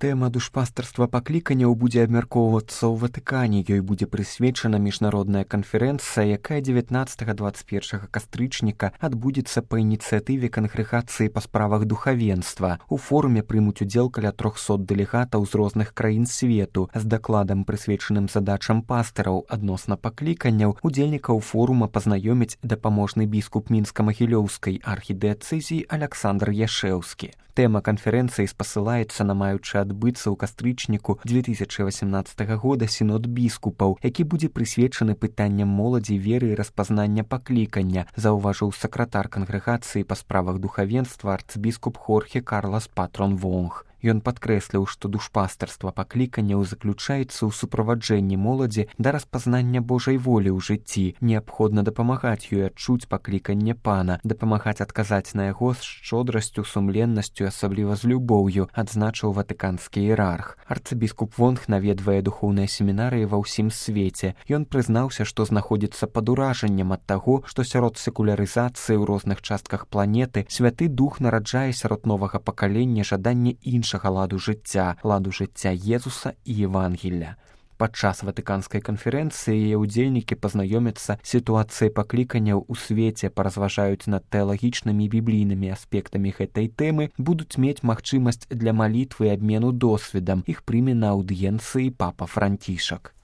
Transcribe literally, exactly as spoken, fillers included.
Тэма душпастарства пакліканняў будзе абмяркоўвацца ў Ватыкане. Ёй будзе прысвечана міжнародная канферэнцыя, якая дзевятнаццатага - дваццаць першага кастрычніка адбудзецца па ініцыятыве кангрэгацыі па справах духавенства. У форуме прымуць удзел каля трохсот дэлегатаў з розных краін свету. З дакладам, прысвечаным задачам пастыраў адносна пакліканняў, удзельнікаў форума пазнаёміць дапаможны біскуп мінска-магілёўскай архідыяцэзіі Аляксандр Яшэўскі. Тэма канферэнцыі спасылаецца на маючы адбыцца ў кастрычніку дзве тысячы васямнаццатага года сінод біскупаў, які будзе прысвечаны пытанням моладзі, веры і распазнання паклікання, заўважыў сакратар кангрэгацыі па справах духавенства арцбіскуп Хорхе Карлас Патрон Вонг. Ён падкрэсліў, што душпастарства пакліканняў заключаецца ў суправаджэнні моладзі да распазнання Божай волі ў жыцці. Неабходна дапамагаць ёй адчуць пакліканне Пана, дапамагаць адказаць на яго з шчодрасцю, сумленнасцю, асабліва з любоўю, адзначыў ватыканскі іерарх. Арцыбіскуп Вонг наведвае духоўныя семінарыі ва ўсім свеце. Ён прызнаўся, што знаходзіцца пад уражаннем ад таго, што сярод секулярызацыі ў розных частках планеты Святы Дух нараджае сярод новага пакалення жаданне іншага ладу жыцця, ладу жыцця Езуса і Евангелля. Падчас ватыканскай канферэнцыі яе ўдзельнікі пазнаёмяцца з сітуацыяй пакліканняў у свеце, паразважаюць над тэалагічнымі і біблійнымі аспектамі гэтай тэмы, будуць мець магчымасць для малітвы і абмену досведам. Іх прыме на аўдыенцыі папа Францішак.